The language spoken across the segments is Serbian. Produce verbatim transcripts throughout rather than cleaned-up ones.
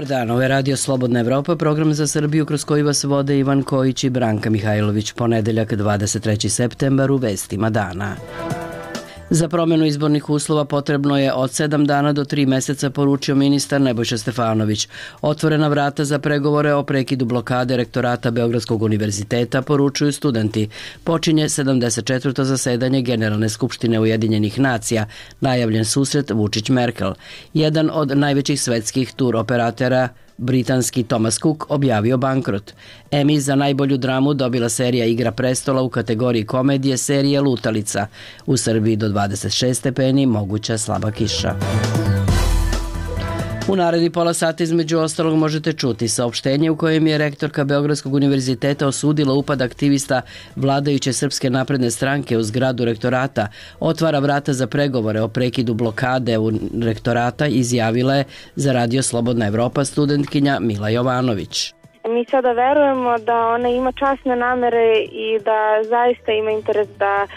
dan, ovo je Radio Slobodna Evropa, program za Srbiju kroz koji vas vode Ivan Kojić i Branka Mihajlović. Ponedeljak, dvadeset treći septembar, u vestima dana. Za promenu izbornih uslova potrebno je od sedam dana do tri meseca, poručio ministar Nebojša Stefanović. Otvorena vrata za pregovore o prekidu blokade rektorata Beogradskog univerziteta, poručuju studenti. Počinje sedamdeset četvrto zasedanje Generalne skupštine Ujedinjenih nacija, najavljen susret Vučić-Merkel. Jedan od najvećih svetskih tur operatera, britanski Thomas Cook, objavio bankrot. Emmy za najbolju dramu dobila serija Igra prestola u kategoriji komedije serije Lutalica. U Srbiji do dvadeset šest stepeni, moguća slaba kiša. U naredni pola sata između ostalog možete čuti saopštenje u kojem je rektorka Beogradskog univerziteta osudila upad aktivista vladajuće Srpske napredne stranke u zgradu rektorata, otvara vrata za pregovore o prekidu blokade u rektorata, izjavila je za Radio Slobodna Evropa studentkinja Mila Jovanović. Mi sada verujemo da ona ima časne namere i da zaista ima interes da e,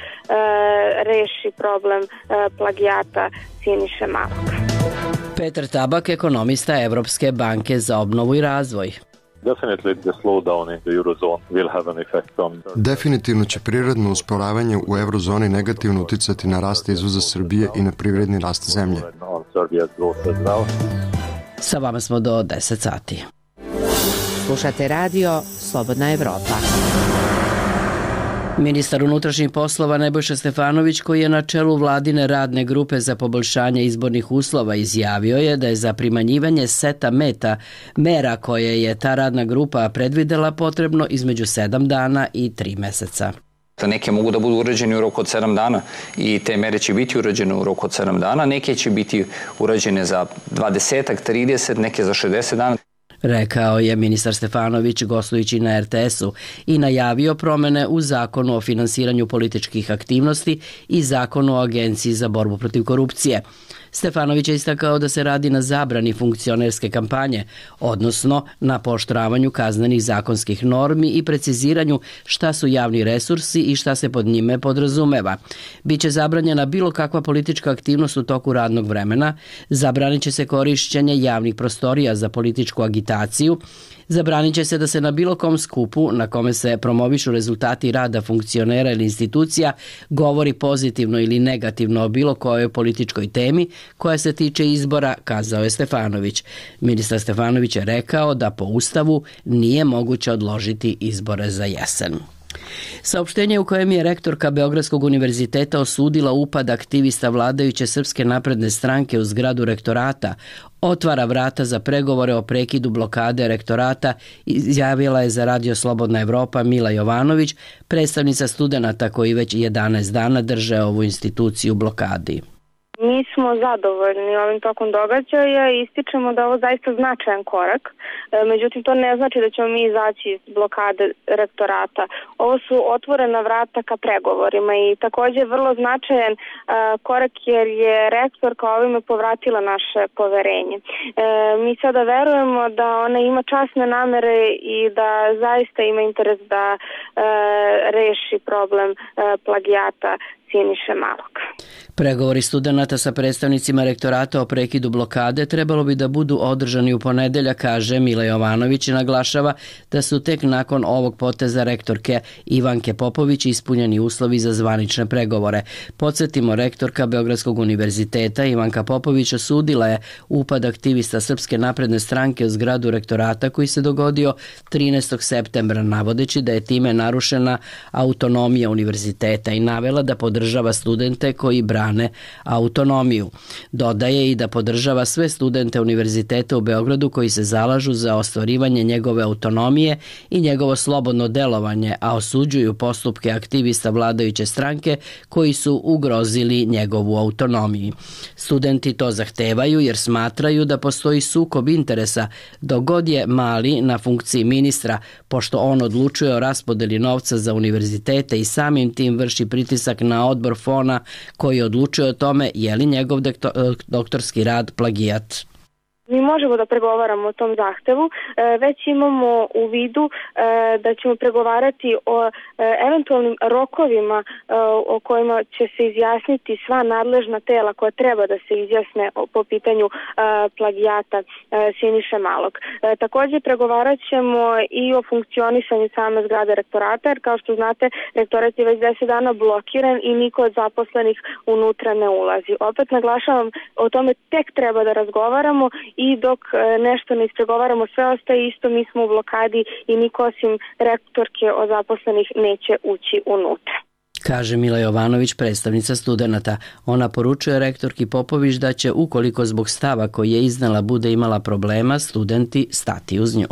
reši problem e, plagijata Siniše Malog. Petar Tabak, ekonomista Evropske banke za obnovu i razvoj. Definitivno će prirodno usporavanje u eurozoni negativno uticati na rast izvoza Srbije i na privredni rast zemlje. Sa vama smo do deset sati. Slušate Radio Slobodna Evropa. Ministar unutrašnjih poslova Nebojša Stefanović, koji je na čelu vladine radne grupe za poboljšanje izbornih uslova, izjavio je da je za primanjivanje seta meta mera koje je ta radna grupa predvidela potrebno između sedam dana i tri meseca. Neke mogu da budu urađene u roku od sedam dana i te mere će biti urađene u roku od sedam dana, neke će biti urađene za dvadeset, trideset, neke za šezdeset dana. Rekao je ministar Stefanović gostujući na er te esu i najavio promene u Zakonu o finansiranju političkih aktivnosti i Zakonu o Agenciji za borbu protiv korupcije. Stefanović je istakao da se radi na zabrani funkcionerske kampanje, odnosno na pooštravanju kaznenih zakonskih normi i preciziranju šta su javni resursi i šta se pod njime podrazumeva. Biće zabranjena bilo kakva politička aktivnost u toku radnog vremena, zabranit će se korišćenje javnih prostorija za političku agitaciju, zabranit će se da se na bilo kom skupu na kome se promovišu rezultati rada funkcionera ili institucija govori pozitivno ili negativno o bilo kojoj političkoj temi koja se tiče izbora, kazao je Stefanović. Ministar Stefanović je rekao da po Ustavu nije moguće odložiti izbore za jesen. Saopštenje u kojem je rektorka Beogradskog univerziteta osudila upad aktivista vladajuće Srpske napredne stranke u zgradu rektorata, otvara vrata za pregovore o prekidu blokade rektorata, izjavila je za Radio Slobodna Evropa Mila Jovanović, predstavnica studenata koji već jedanaest dana drže ovu instituciju u blokadi. Mi smo zadovoljni ovim tokom događaja i ističemo da je ovo zaista značajan korak. Međutim, to ne znači da ćemo mi izaći iz blokade rektorata. Ovo su otvorena vrata ka pregovorima i također vrlo značajan korak jer je rektorka ovime povratila naše poverenje. Mi sada verujemo da ona ima časne namere i da zaista ima interes da reši problem plagijata Siniše Malog. Pregovori studenata sa predstavnicima rektorata o prekidu blokade trebalo bi da budu održani u ponedeljak, kaže Mila Jovanović i naglašava da su tek nakon ovog poteza rektorke Ivanke Popović ispunjeni uslovi za zvanične pregovore. Podsjetimo, rektorka Beogradskog univerziteta Ivanka Popović osudila je upad aktivista Srpske napredne stranke u zgradu rektorata koji se dogodio trinaestog septembra, navodeći da je time narušena autonomija univerziteta i navela da podržava studente koji brane autonomiju. Dodaje i da podržava sve studente univerziteta u Beogradu koji se zalažu za ostvarivanje njegove autonomije i njegovo slobodno delovanje, a osuđuju postupke aktivista vladajuće stranke koji su ugrozili njegovu autonomiju. Studenti to zahtevaju jer smatraju da postoji sukob interesa dok god je Mali na funkciji ministra, pošto on odlučuje o raspodeli novca za univerzitete i samim tim vrši pritisak na odbor Fona koji odlučuje o tome je li njegov doktorski rad plagijat. Mi možemo da pregovaramo o tom zahtevu, već imamo u vidu da ćemo pregovarati o eventualnim rokovima o kojima će se izjasniti sva nadležna tela koja treba da se izjasne po pitanju plagijata Siniše Malog. Takođe pregovarat ćemo i o funkcionisanju same zgrade rektorata, jer kao što znate, rektorat je već deset dana blokiran i niko od zaposlenih unutra ne ulazi. Opet naglašavam, o tome tek treba da razgovaramo i dok nešto ne ispregovaramo, sve ostaje isto, mi smo u blokadi i niko osim rektorke od zaposlenih neće ući unutra. Kaže Mila Jovanović, predstavnica studenata. Ona poručuje rektorki Popović da će, ukoliko zbog stava koji je iznela bude imala problema, studenti stati uz nju.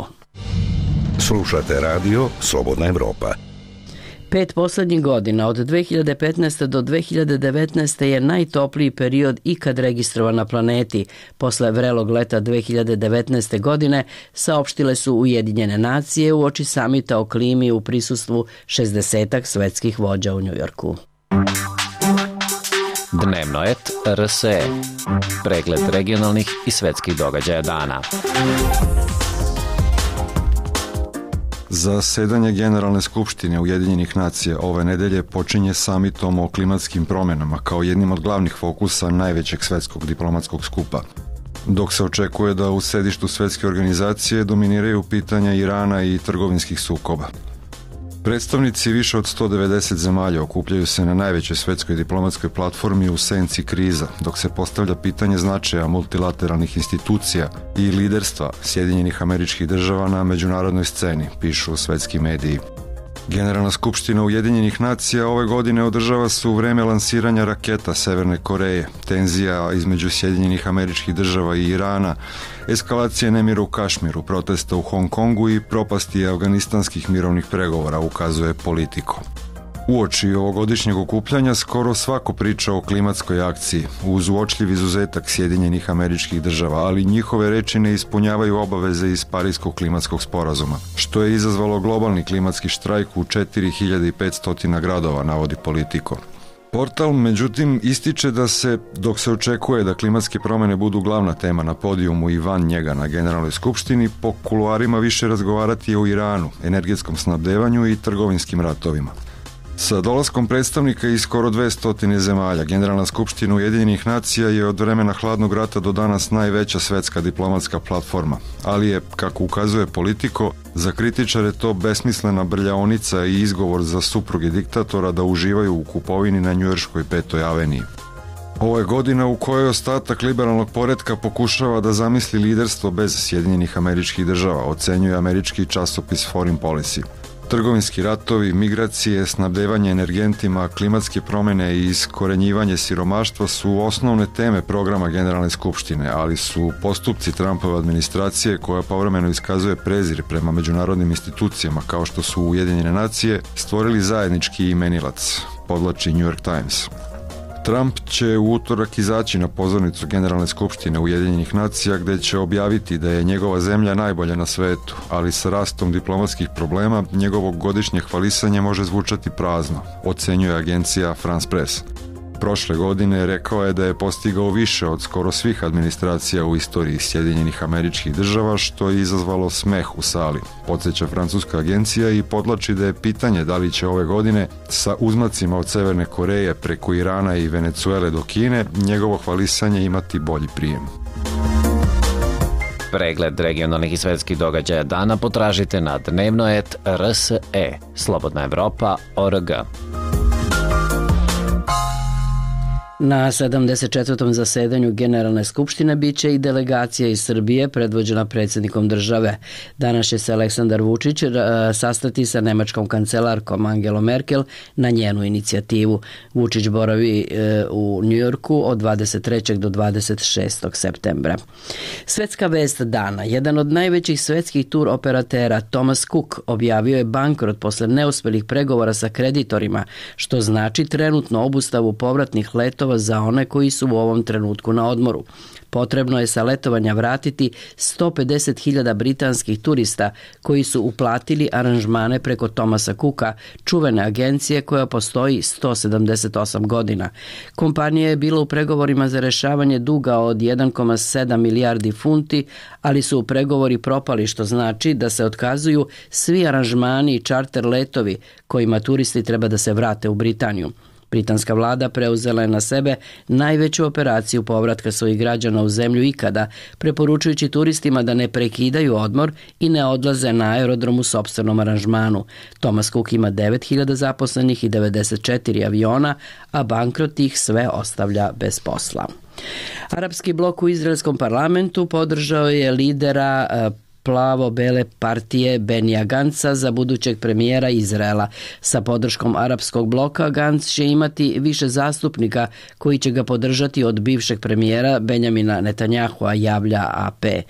Slušate radio Slobodna Evropa. Pet poslednjih godina, od dve hiljade petnaeste. do dve hiljade devetnaeste. je najtopliji period ikad registrovan na planeti. Posle vrelog leta dve hiljade devetnaeste. godine saopštile su Ujedinjene nacije uoči samita o klimi u prisustvu šezdesetak svetskih vođa u Njujorku. Dnevno et R S E. Pregled regionalnih i svetskih događaja dana. Zasedanje Generalne skupštine Ujedinjenih nacija ove nedelje počinje samitom o klimatskim promenama kao jednim od glavnih fokusa najvećeg svetskog diplomatskog skupa. Dok se očekuje da u sedištu svetske organizacije dominiraju pitanja Irana i trgovinskih sukoba. Predstavnici više od sto devedeset zemalja okupljaju se na najvećoj svetskoj diplomatskoj platformi u senci kriza, dok se postavlja pitanje značaja multilateralnih institucija i liderstva Sjedinjenih Američkih Država na međunarodnoj sceni, pišu svetski mediji. Generalna skupština Ujedinjenih nacija ove godine održava se u vreme lansiranja raketa Severne Koreje, tenzija između Sjedinjenih Američkih Država i Irana, eskalacije nemira u Kašmiru, protesta u Hong Kongu i propasti afganistanskih mirovnih pregovora, ukazuje Politico. Uoči ovogodišnjeg okupljanja skoro svako priča o klimatskoj akciji, uz uočljiv izuzetak Sjedinjenih Američkih Država, ali njihove reči ne ispunjavaju obaveze iz Parijskog klimatskog sporazuma, što je izazvalo globalni klimatski štrajk u četiri hiljade petsto gradova, navodi Politico. Portal, međutim, ističe da se, dok se očekuje da klimatske promene budu glavna tema na podijumu i van njega na Generalnoj skupštini, po kuloarima više razgovarati o Iranu, energetskom snabdevanju i trgovinskim ratovima. Sa dolaskom predstavnika iz skoro dvesta zemalja, Generalna skupština Ujedinjenih nacija je od vremena hladnog rata do danas najveća svetska diplomatska platforma, ali je, kako ukazuje Politico, za kritičare to besmislena brljaonica i izgovor za supruge diktatora da uživaju u kupovini na njujorškoj petoj aveniji. Ovo je godina u kojoj ostatak liberalnog poretka pokušava da zamisli liderstvo bez Sjedinjenih Američkih Država, ocenjuje američki časopis Foreign Policy. Trgovinski ratovi, migracije, snabdevanje energentima, klimatske promene i iskorenjivanje siromaštva su osnovne teme programa Generalne skupštine, ali su postupci Trumpove administracije, koja povremeno iskazuje prezir prema međunarodnim institucijama kao što su Ujedinjene nacije, stvorili zajednički imenilac, podvlači New York Times. Trump će u utorak izaći na pozornicu Generalne skupštine Ujedinjenih nacija gde će objaviti da je njegova zemlja najbolja na svetu, ali sa rastom diplomatskih problema njegovo godišnje hvalisanje može zvučati prazno, ocenjuje agencija France Press. Prošle godine rekao je da je postigao više od skoro svih administracija u istoriji Sjedinjenih Američkih Država, što je izazvalo smeh u sali, podsjeća francuska agencija i podlači da je pitanje da li će ove godine sa uzmacima od Severne Koreje preko Irana i Venecuele do Kine njegovo hvalisanje imati bolji prijem. Pregled regionalnih i svetskih događaja dana potražite na dnevno et R S E, Slobodna Evropa, O R G. Na sedamdeset četvrtom zasedanju Generalne skupštine biće i delegacija iz Srbije predvođena predsjednikom države. Danas će se Aleksandar Vučić sastati sa nemačkom kancelarkom Angelom Merkel na njenu inicijativu. Vučić boravi u Njujorku od dvadeset trećeg do dvadeset šestog septembra. Svetska vest dana. Jedan od najvećih svetskih tur operatera, Thomas Cook, objavio je bankrot posle neuspelih pregovora sa kreditorima, što znači trenutno obustavu povratnih letova za one koji su u ovom trenutku na odmoru. Potrebno je sa letovanja vratiti sto pedeset hiljada britanskih turista koji su uplatili aranžmane preko Thomasa Cooka, čuvene agencije koja postoji sto sedamdeset osam godina. Kompanija je bila u pregovorima za rešavanje duga od jedan zarez sedam milijardi funti, ali su pregovori propali, što znači da se otkazuju svi aranžmani i čarter letovi kojima turisti treba da se vrate u Britaniju. Britanska vlada preuzela je na sebe najveću operaciju povratka svojih građana u zemlju ikada, preporučujući turistima da ne prekidaju odmor i ne odlaze na aerodrom u sopstvenom aranžmanu. Thomas Cook ima devet hiljada zaposlenih i devedeset četiri aviona, a bankrot ih sve ostavlja bez posla. Arapski blok u izraelskom parlamentu podržao je lidera plavo-bele partije Benija Ganca za budućeg premijera Izraela. Sa podrškom arapskog bloka Gantz će imati više zastupnika koji će ga podržati od bivšeg premijera Benjamina Netanjahua, javlja A P.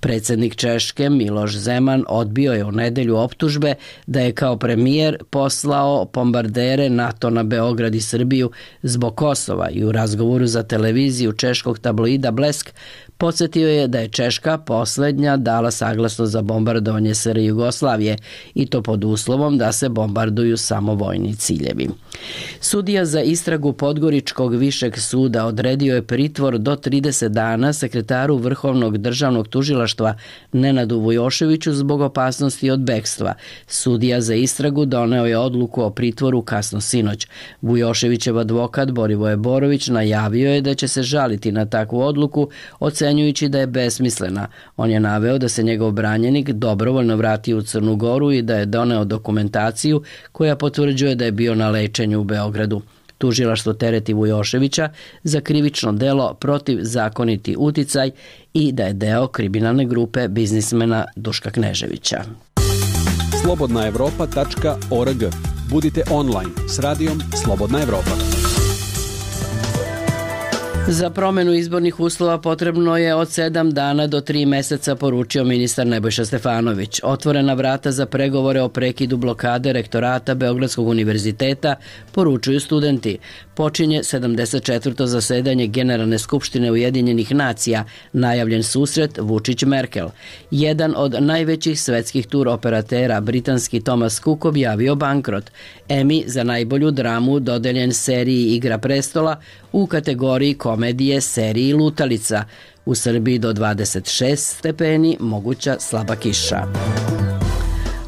Predsjednik Češke Miloš Zeman odbio je u nedelju optužbe da je kao premijer poslao bombardere NATO na Beograd i Srbiju zbog Kosova i u razgovoru za televiziju češkog tabloida Blesk podsjetio je da je Češka poslednja dala saglasnost za bombardovanje S R Jugoslavije i to pod uslovom da se bombarduju samo vojni ciljevi. Sudija za istragu Podgoričkog višeg suda odredio je pritvor do trideset dana sekretaru Vrhovnog državnog tužilaštva Nenadu Vujoševiću zbog opasnosti od bekstva. Sudija za istragu doneo je odluku o pritvoru kasno sinoć. Vujoševićev advokat Borivoje Borović najavio je da će se žaliti na takvu odluku, ocenjujući da je besmislena. On je naveo da se njegov branjenik dobrovoljno vratio u Crnu Goru i da je doneo dokumentaciju koja potvrđuje da je bio na lečenju u Beogradu. Tužilaštvo tereti Vujoševića za krivično delo protiv zakoniti uticaj i da je deo kriminalne grupe biznismena Duška Kneževića. slobodna evropa tačka org. Budite online s radijom Slobodna Evropa. Za promenu izbornih uslova potrebno je od sedam dana do tri meseca, poručio ministar Nebojša Stefanović. Otvorena vrata za pregovore o prekidu blokade rektorata Beogradskog univerziteta, poručuju studenti. Počinje sedamdeset četvrto zasedanje Generalne skupštine Ujedinjenih nacija, najavljen susret Vučić-Merkel. Jedan od najvećih svetskih tur operatera, britanski Thomas Cook, objavio bankrot. Emmy za najbolju dramu dodeljen seriji Igra prestola u kategoriji komedije seriji Lutalica. U Srbiji do dvadeset šest stepeni, moguća slaba kiša.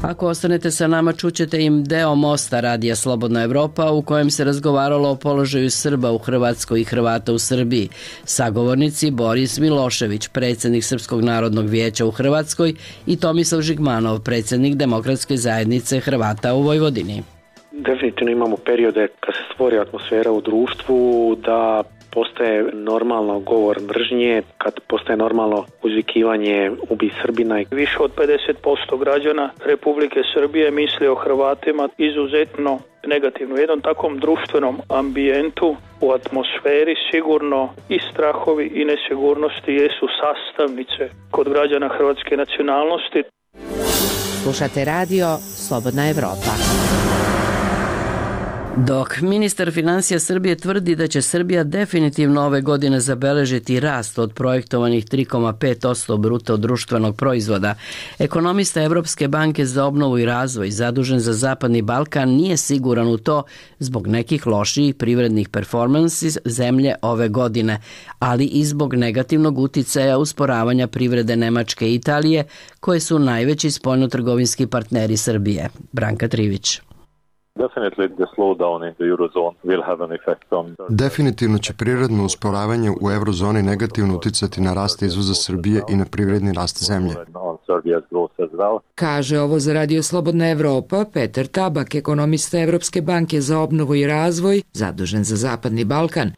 Ako ostanete sa nama, čućete im deo mosta radija Slobodna Evropa u kojem se razgovaralo o položaju Srba u Hrvatskoj i Hrvata u Srbiji. Sagovornici Boris Milošević, predsjednik Srpskog narodnog vijeća u Hrvatskoj, i Tomislav Žigmanov, predsjednik Demokratske zajednice Hrvata u Vojvodini. Definitivno imamo periode kad se stvori atmosfera u društvu, da postaje normalno govor mržnje, kad postaje normalno uzvikivanje ubi Srbina. Više od pedeset posto građana Republike Srbije misli o Hrvatima izuzetno negativno. U jednom takvom društvenom ambijentu, u atmosferi, sigurno i strahovi i nesigurnosti jesu sastavnice kod građana hrvatske nacionalnosti. Slušate radio Slobodna Evropa. Dok ministar financija Srbije tvrdi da će Srbija definitivno ove godine zabeležiti rast od projektovanih tri zarez pet posto bruto društvenog proizvoda, ekonomista Evropske banke za obnovu i razvoj zadužen za Zapadni Balkan nije siguran u to zbog nekih lošijih privrednih performansi zemlje ove godine, ali i zbog negativnog uticaja usporavanja privrede Nemačke i Italije, koje su najveći spoljnotrgovinski partneri Srbije. Branka Trivić. Definitivno će prirodno usporavanje u eurozoni negativno uticati na rast izvoza Srbije i na privredni rast zemlje. Kaže ovo za Radio Slobodna Evropa Petar Tabak, ekonomista Evropske banke za obnovu i razvoj, zadužen za Zapadni Balkan.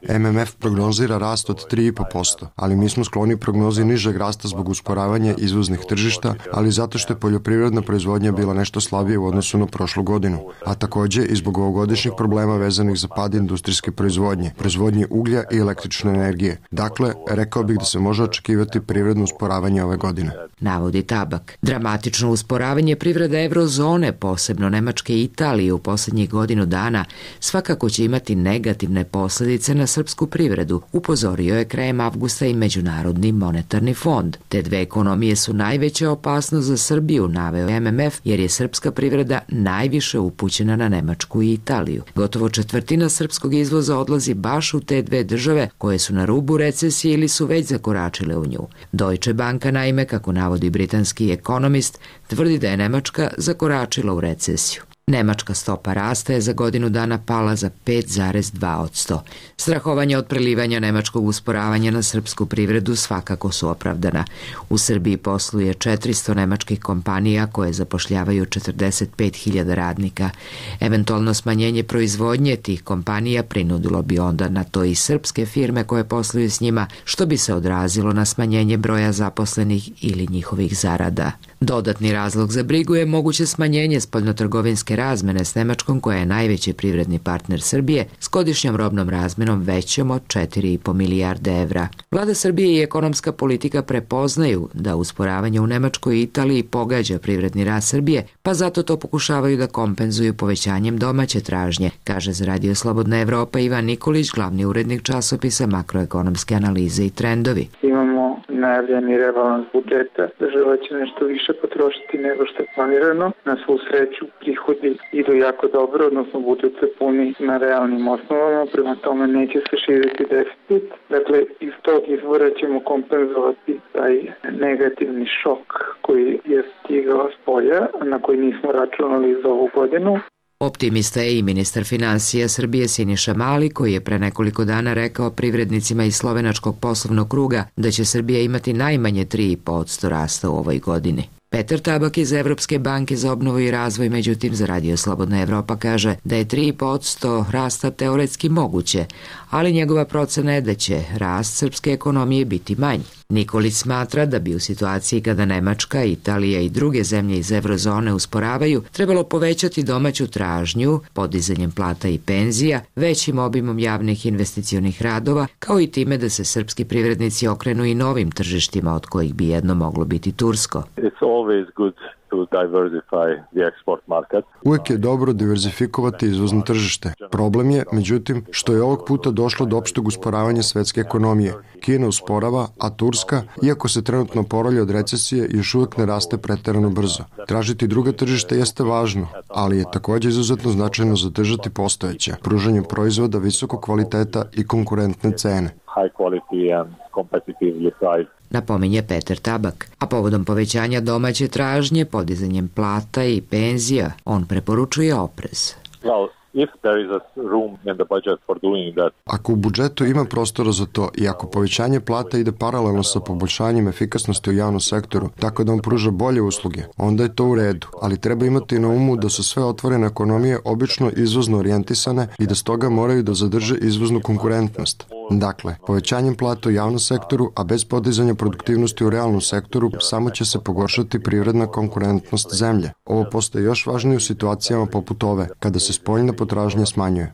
M M F prognozira rast od tri zarez pet posto, ali mi smo skloni prognozi nižeg rasta zbog usporavanja izvoznih tržišta, ali zato što je poljoprivredna proizvodnja bila nešto slabije u odnosu na prošlu godinu. godinu, a takođe i zbog ovogodišnjih problema vezanih za pad industrijske proizvodnje, proizvodnje uglja i električne energije. Dakle, rekao bih da se može očekivati privredno usporavanje ove godine. Navodi Tabak. Dramatično usporavanje privreda evrozone, posebno Nemačke i Italije u poslednjih godinu dana, svakako će imati negativne posledice na srpsku privredu, upozorio je krajem avgusta i Međunarodni monetarni fond. Te dve ekonomije su najveća opasnost za Srbiju, naveo M M F, jer je srpska privreda najviše upućena na Nemačku i Italiju. Gotovo četvrtina srpskog izvoza odlazi baš u te dve države koje su na rubu recesije ili su već zakoračile u nju. Deutsche Banka, naime, kako navodi britanski ekonomist, tvrdi da je Nemačka zakoračila u recesiju. Nemačka stopa rasta je za godinu dana pala za pet zarez dva posto. Strahovanja od prelivanja nemačkog usporavanja na srpsku privredu svakako su opravdana. U Srbiji posluje četiristo nemačkih kompanija koje zapošljavaju četrdeset pet hiljada radnika. Eventualno smanjenje proizvodnje tih kompanija prinudilo bi onda na to i srpske firme koje posluju s njima, što bi se odrazilo na smanjenje broja zaposlenih ili njihovih zarada. Dodatni razlog za brigu je moguće smanjenje spoljnotrgovinske razmene s Nemačkom, koja je najveći privredni partner Srbije, s godišnjom robnom razmenom većom od četiri i po milijarde evra. Vlada Srbije i ekonomska politika prepoznaju da usporavanje u Nemačkoj i Italiji pogađa privredni rast Srbije, pa zato to pokušavaju da kompenzuju povećanjem domaće tražnje, kaže za Radio Slobodna Evropa Ivan Nikolić, glavni urednik časopisa Makroekonomske analize i trendovi. Imamo najavljeni rebalans budžeta, država će nešto više potrošiti nego što je planirano. Na svu sreću prihodi idu jako dobro, odnosno budžet se puni na realnim osnovama, prema tome neće se širiti deficit. Dakle, iz tog izvora ćemo kompenzovati taj negativni šok koji je stigao s polja, na koji nismo računali za ovu godinu. Optimista je i ministar finansija Srbije Siniša Mali, koji je pre nekoliko dana rekao privrednicima iz slovenačkog poslovnog kruga da će Srbija imati najmanje tri i po posto rasta u ovoj godini. Petar Tabak iz Evropske banke za obnovu i razvoj, međutim, za Radio Slobodna Evropa kaže da je tri i po posto rasta teoretski moguće, ali njegova procena je da će rast srpske ekonomije biti manji. Nikolić smatra da bi u situaciji kada Nemačka, Italija i druge zemlje iz evrozone usporavaju, trebalo povećati domaću tražnju podizanjem plata i penzija, većim obimom javnih investicionih radova, kao i time da se srpski privrednici okrenu i novim tržištima, od kojih bi jedno moglo biti tursko. Uvijek je dobro diverzifikovati izvozno tržište. Problem je, međutim, što je ovog puta došlo do opšteg usporavanja svetske ekonomije. Kina usporava, a Turska, iako se trenutno oporavlja od recesije, još uvijek ne raste preterano brzo. Tražiti druga tržišta jeste važno, ali je također izuzetno značajno zadržati postojeća, pružanje proizvoda visokog kvaliteta i konkurentne cene. Napominje Petar Tabak, a povodom povećanja domaće tražnje, podizanjem plata i penzija, on preporučuje oprez. Ako u budžetu ima prostora za to i ako povećanje plata ide paralelno sa poboljšanjem efikasnosti u javnom sektoru, tako da on pruža bolje usluge, onda je to u redu, ali treba imati na umu da su sve otvorene ekonomije obično izvozno orijentisane i da stoga moraju da zadrže izvoznu konkurentnost. Dakle, povećanjem plata u javnom sektoru, a bez podizanja produktivnosti u realnom sektoru, samo će se pogoršati privredna konkurentnost zemlje. Ovo postaje još važnije u situacijama poput ove, kada se spoljna potražnja smanjuje.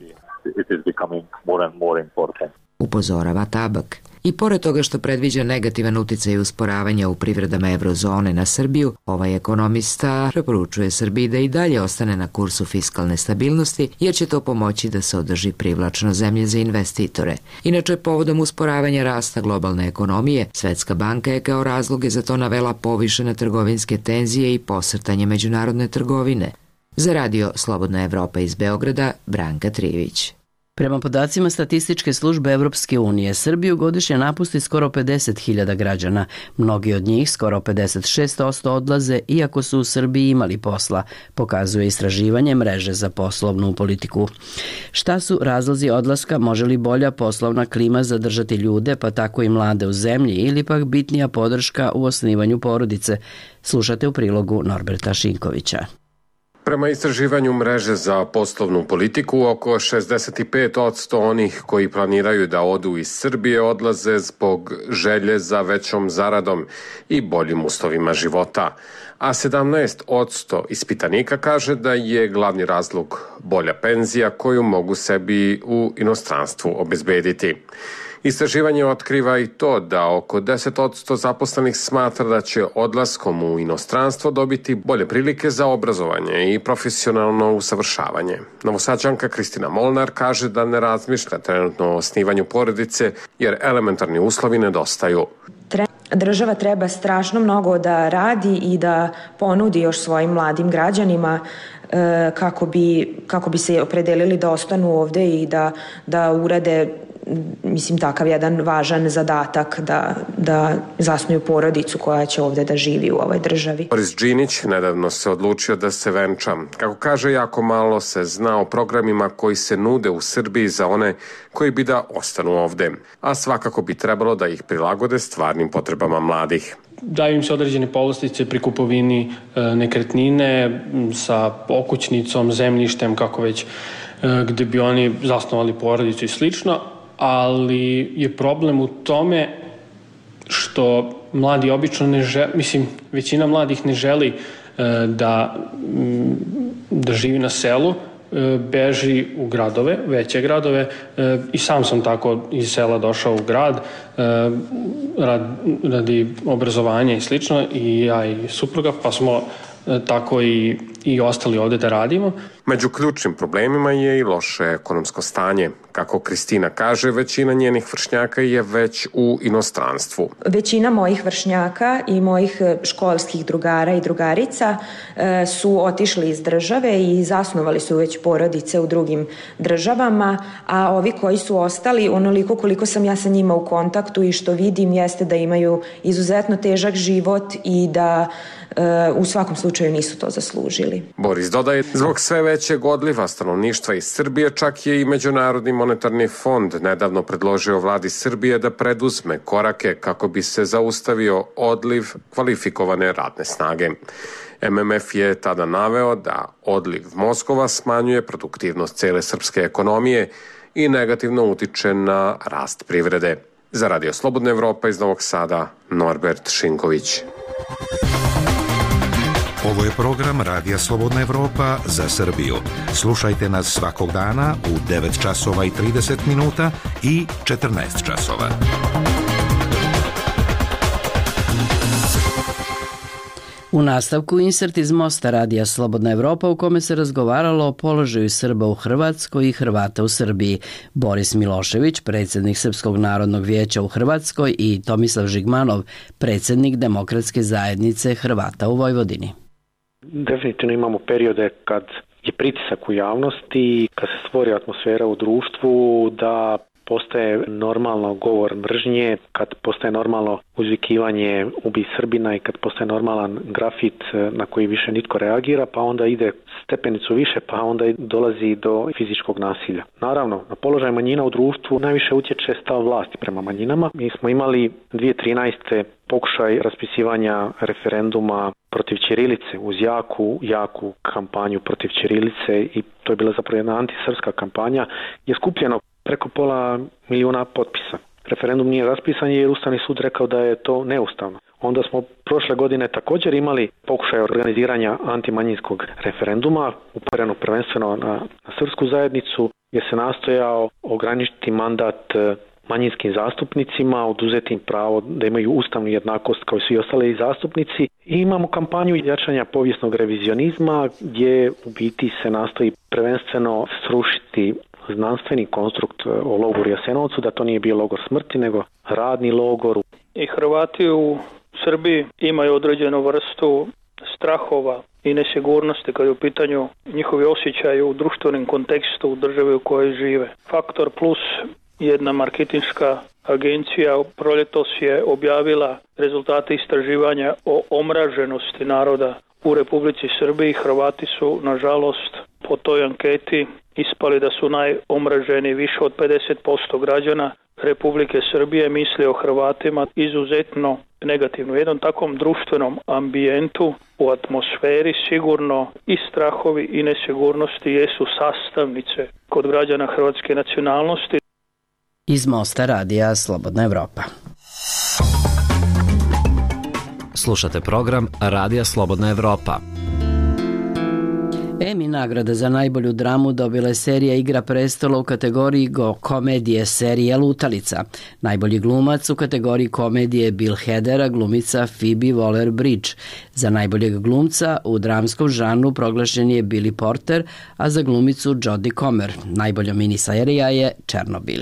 Upozorava Tabak. I pored toga što predviđa negativan uticaj usporavanja u privredama evrozone na Srbiju, ovaj ekonomista preporučuje Srbiji da i dalje ostane na kursu fiskalne stabilnosti, jer će to pomoći da se održi privlačno zemlje za investitore. Inače, povodom usporavanja rasta globalne ekonomije, Svetska banka je kao razloge za to navela povišene trgovinske tenzije i posrtanje međunarodne trgovine. Za Radio Slobodna Evropa iz Beograda, Branka Trivić. Prema podacima statističke službe Evropske unije, Srbiju godišnje napusti skoro pedeset hiljada građana. Mnogi od njih, skoro pedeset šest posto, odlaze iako su u Srbiji imali posla, pokazuje istraživanje mreže za poslovnu politiku. Šta su razlozi odlaska, može li bolja poslovna klima zadržati ljude, pa tako i mlade u zemlji, ili pak bitnija podrška u osnivanju porodice? Slušate u prilogu Norberta Šinkovića. Prema istraživanju mreže za poslovnu politiku, oko šezdeset pet posto onih koji planiraju da odu iz Srbije odlaze zbog želje za većom zaradom i boljim uslovima života, a sedamnaest posto ispitanika kaže da je glavni razlog bolja penzija koju mogu sebi u inostranstvu obezbediti. Istraživanje otkriva i to da oko deset posto zaposlenih smatra da će odlaskom u inostranstvo dobiti bolje prilike za obrazovanje i profesionalno usavršavanje. Novosađanka Kristina Molnar kaže da ne razmišlja trenutno o osnivanju porodice jer elementarni uslovi nedostaju. Država treba strašno mnogo da radi i da ponudi još svojim mladim građanima kako bi, kako bi se opredelili da ostanu ovde i da, da urade, mislim, takav jedan važan zadatak da, da zasnuju porodicu koja će ovde da živi u ovoj državi. Boris Đinić nedavno se odlučio da se venča. Kako kaže, jako malo se zna o programima koji se nude u Srbiji za one koji bi da ostanu ovde, a svakako bi trebalo da ih prilagode stvarnim potrebama mladih. Daju im se određene povlastice pri kupovini e, nekretnine sa okućnicom, zemljištem, kako već, e, gde bi oni zasnovali porodicu i slično, ali je problem u tome što mladi obično ne žele, mislim, većina mladih ne želi e, da, da živi na selu, e, beži u gradove, veće gradove, e, i sam sam tako iz sela došao u grad e, rad, radi obrazovanja i slično, i ja i supruga, pa smo e, tako i, i ostali ovde da radimo. Među ključnim problemima je i loše ekonomsko stanje. Kako Kristina kaže, većina njenih vršnjaka je već u inostranstvu. Većina mojih vršnjaka i mojih školskih drugara i drugarica e, su otišli iz države i zasnovali su već porodice u drugim državama, a ovi koji su ostali, onoliko koliko sam ja sa njima u kontaktu i što vidim, jeste da imaju izuzetno težak život i da e, u svakom slučaju nisu to zaslužili. Boris dodaje, zbog sve većeg odliva stanovništva iz Srbije, čak je i Međunarodni monetarni fond nedavno predložio vladi Srbije da preduzme korake kako bi se zaustavio odliv kvalifikovane radne snage. M M F je tada naveo da odliv mozgova smanjuje produktivnost cele srpske ekonomije i negativno utiče na rast privrede. Za Radio Slobodna Evropa iz Novog Sada, Norbert Šinković. Ovo je program Radija Slobodna Evropa za Srbiju. Slušajte nas svakog dana u devet časova i trideset minuta i četrnaest časova. U nastavku insert iz Mosta Radija Slobodna Evropa u kome se razgovaralo o položaju Srba u Hrvatskoj i Hrvata u Srbiji. Boris Milošević, predsjednik Srpskog narodnog vijeća u Hrvatskoj, i Tomislav Žigmanov, predsjednik Demokratske zajednice Hrvata u Vojvodini. Definitivno imamo periode kad je pritisak u javnosti, kad se stvori atmosfera u društvu da postaje normalno govor mržnje, kad postaje normalno uzvikivanje ubi Srbina i kad postaje normalan grafit na koji više nitko reagira, pa onda ide stepenicu više, pa onda dolazi do fizičkog nasilja. Naravno, na položaj manjina u društvu najviše utječe stav vlasti prema manjinama. Mi smo imali dvije tisuće trinaeste. pokušaj raspisivanja referenduma protiv ćirilice uz jaku, jaku kampanju protiv ćirilice, i to je bila zapravo jedna antisrpska kampanja, je skupljeno preko pola milijuna potpisa. Referendum nije raspisan jer Ustavni sud rekao da je to neustavno. Onda smo prošle godine također imali pokušaj organiziranja antimanjinskog referenduma, upereno prvenstveno na, na srpsku zajednicu, gdje se nastojao ograničiti mandat manjinskim zastupnicima, oduzeti im pravo da imaju ustavnu jednakost kao i svi ostali zastupnici. I imamo kampanju jačanja povijesnog revizionizma, gdje u biti se nastoji prvenstveno srušiti znanstveni konstrukt o logoru Jasenovcu, da to nije bio logor smrti, nego radni logor. I Hrvati u Srbiji imaju određenu vrstu strahova i nesigurnosti kad je u pitanju njihovi osjećaji u društvenom kontekstu u državi u kojoj žive. Faktor plus, jedna marketinška agencija proljetos je objavila rezultate istraživanja o omraženosti naroda u Republici Srbiji. Hrvati su, nažalost, po toj anketi ispali da su najomraženiji. Više od pedeset posto građana Republike Srbije misli o Hrvatima izuzetno negativno. U jednom takvom društvenom ambijentu, u atmosferi sigurno i strahovi i nesigurnosti jesu sastavnice kod građana hrvatske nacionalnosti. Iz Mosta radija Slobodna Evropa. Slušate program Radija Slobodna Evropa. Emmy nagrada za najbolju dramu dobila je serija Igra prestola u kategoriji go komedije serije Lutalica. Najbolji glumac u kategoriji komedije Bill Hader, a glumica Phoebe Waller-Bridge. Za najboljeg glumca u dramskom žanru proglašen je Billy Porter, a za glumicu Jodie Comer. Najbolja miniserija je Černobil.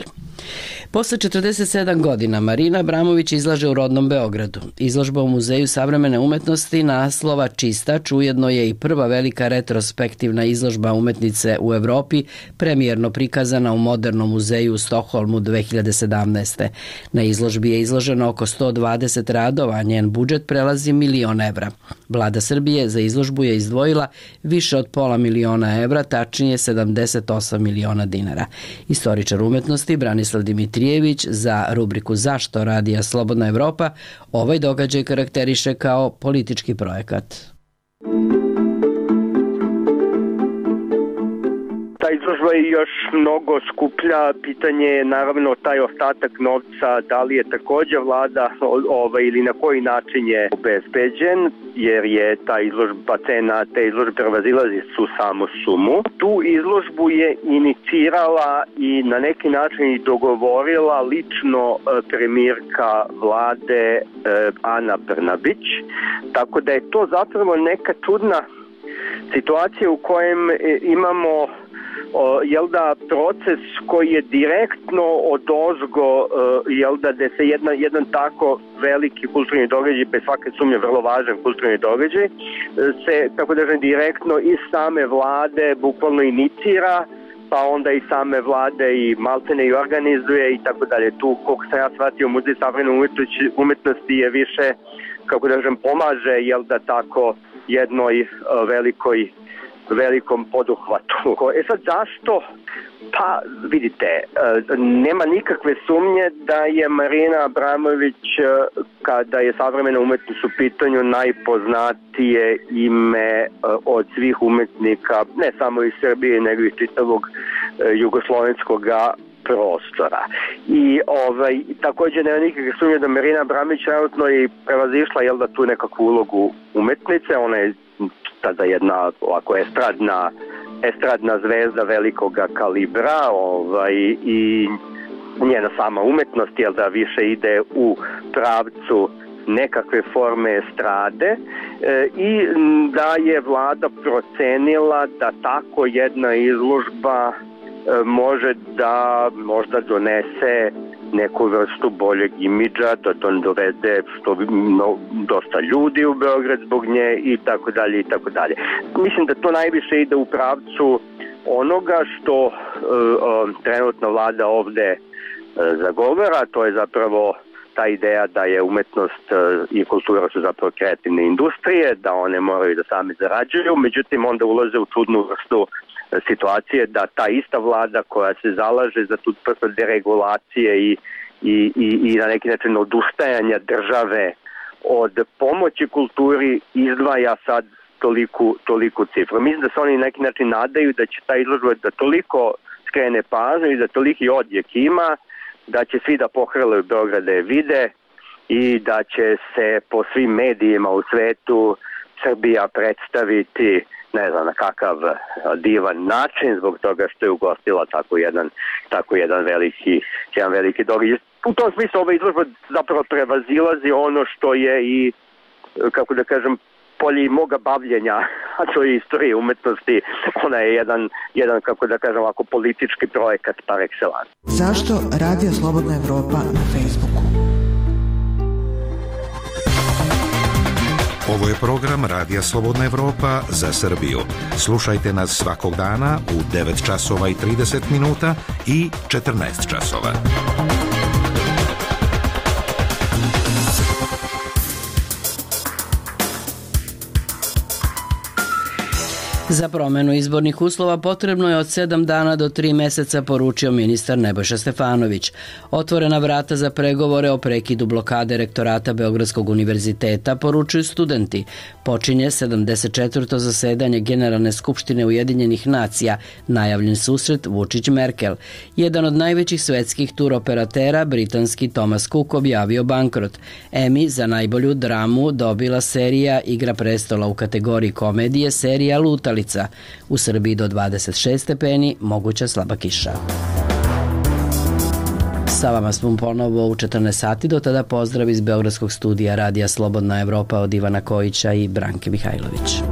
Posle četrdeset sedam godina Marina Abramović izlaže u rodnom Beogradu. Izložba u Muzeju savremene umetnosti naslova Čistač ujedno je i prva velika retrospektivna izložba umetnice u Evropi, premijerno prikazana u Modernom muzeju u Stokholmu dve hiljade sedamnaeste. Na izložbi je izloženo oko sto dvadeset radova, a njen budžet prelazi milion evra. Vlada Srbije za izložbu je izdvojila više od pola miliona evra, tačnije sedamdeset osam miliona dinara. Istoričar umetnosti Branislav Dimitrijević za rubriku Zašto radija Slobodna Evropa ovaj događaj karakteriše kao politički projekat. Ta izložba je još mnogo skuplja, pitanje je naravno taj ostatak novca, da li je također vlada ovaj, ili na koji način je obezbeđen, jer je ta izložba, cena te izložbe prevazilazi su samu sumu. Tu izložbu je inicirala i na neki način i dogovorila lično premijerka vlade Ana Brnabić, tako da je to zapravo neka čudna situacija u kojem imamo O, jel da proces koji je direktno odozgo, jel da da se jedna, jedan tako veliki kulturni događaj, bez svake sumnje vrlo važan kulturni događaj, se, tako da kažem, direktno iz same vlade bukvalno inicira, pa onda i same vlade i maltene i organizuje i tako dalje. Tu, koliko sam ja shvatio, Muzej savremene umetnosti je više, kako da kažem, pomaže, jel da tako, jednoj velikoj velikom poduhvatu. E sad zašto? Pa vidite, nema nikakve sumnje da je Marina Abramović, kada je savremena umetnost u pitanju, najpoznatije ime od svih umetnika, ne samo iz Srbije, nego i čitavog jugoslovenskog prostora. I ovaj, također nema nikakve sumnje da Marina Abramović trenutno je prevazišla, jel da, tu nekakvu ulogu umetnice. Ona je tada jedna ovako estradna, estradna zvezda velikoga kalibra, ovaj, i njena sama umetnost, jel da, više ide u pravcu nekakve forme estrade, e, i da je vlada procenila da tako jedna izložba e, može da možda donese neku vrstu boljeg imidža, da to dovede što no, dosta ljudi u Beograd zbog nje i tako dalje i tako dalje. Mislim da to najviše ide u pravcu onoga što uh, uh, trenutna vlada ovde uh, zagovara, to je zapravo ta ideja da je umetnost uh, i kultura su zapravo kreativne industrije, da one moraju da same zarađuju, međutim onda ulaze u čudnu vrstu situacije da ta ista vlada koja se zalaže za tu vrstu deregulacije i, i, i, i na neki način odustajanja države od pomoći kulturi izdvaja sad toliku, toliku cifru. Mislim da se oni na neki način nadaju da će ta izložba da toliko skrene pažnju i da toliki odjek ima, da će svi da pohrlaju Beograd da je vide i da će se po svim medijima u svetu Srbija predstaviti ne znam na kakav divan način zbog toga što je ugostila tako jedan, tako jedan veliki, jedan veliki događaj. U tom smislu ova izložba zapravo prevazilazi ono što je i, kako da kažem, polje i moga bavljenja, a to je istorija umetnosti. Ona je jedan, jedan, kako da kažem, ovako politički projekat par excellence. Zašto Radio Slobodna Evropa na Facebooku? Ovo je program Radija Slobodna Evropa za Srbiju. Slušajte nas svakog dana u devet časova i trideset minuta i četrnaest časova. Za promenu izbornih uslova potrebno je od sedam dana do tri meseca, poručio ministar Nebojša Stefanović. Otvorena vrata za pregovore o prekidu blokade rektorata Beogradskog univerziteta, poručuju studenti. Počinje sedamdeset četvrto zasedanje Generalne skupštine Ujedinjenih nacija, najavljen susret Vučić-Merkel. Jedan od najvećih svetskih turoperatera, britanski Thomas Cook, objavio bankrot. Emmy za najbolju dramu dobila serija Igra prestola u kategoriji komedije, serija Lutali. U Srbiji do dvadeset šest stepeni, moguća slaba kiša. Sa vama smo ponovo u četrnaest sati, do tada pozdrav iz Beogradskog studija Radija Slobodna Evropa od Ivana Kojića i Branke Mihajlović.